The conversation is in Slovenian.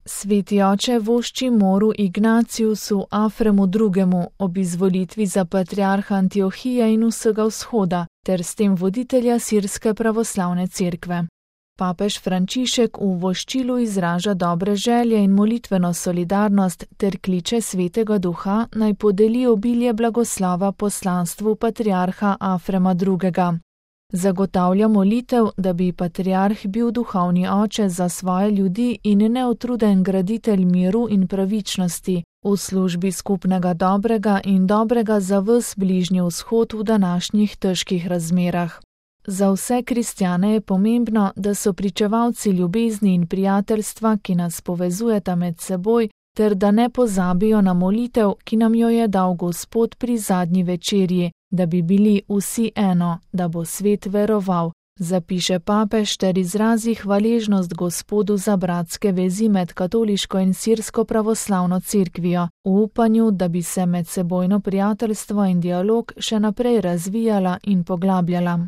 Sveti oče vošči moru Ignaciusu Afremu II. Ob izvolitvi za patriarha Antiohije in vsega vzhoda, ter s tem voditelja sirske pravoslavne cerkve. Papež Frančišek v voščilu izraža dobre želje in molitveno solidarnost ter kliče Svetega Duha, naj podeli obilje blagoslova poslanstvu patriarha Afrema II. Zagotavlja molitev, da bi patriarh bil duhovni oče za svoje ljudi in neutruden graditelj miru in pravičnosti v službi skupnega dobrega in dobrega za ves Bližnji vzhod v današnjih težkih razmerah. Za vse kristjane je pomembno, da so pričevalci ljubezni in prijateljstva, ki nas povezujeta med seboj, ter da ne pozabijo na molitev, ki nam jo je dal Gospod pri zadnji večerji, da bi bili vsi eno, da bo svet veroval, zapiše papež ter izrazi hvaležnost Gospodu za bratske vezi med katoliško in sirsko pravoslavno cerkvijo, v upanju, da bi se medsebojno prijateljstvo in dialog še naprej razvijala in poglabljala.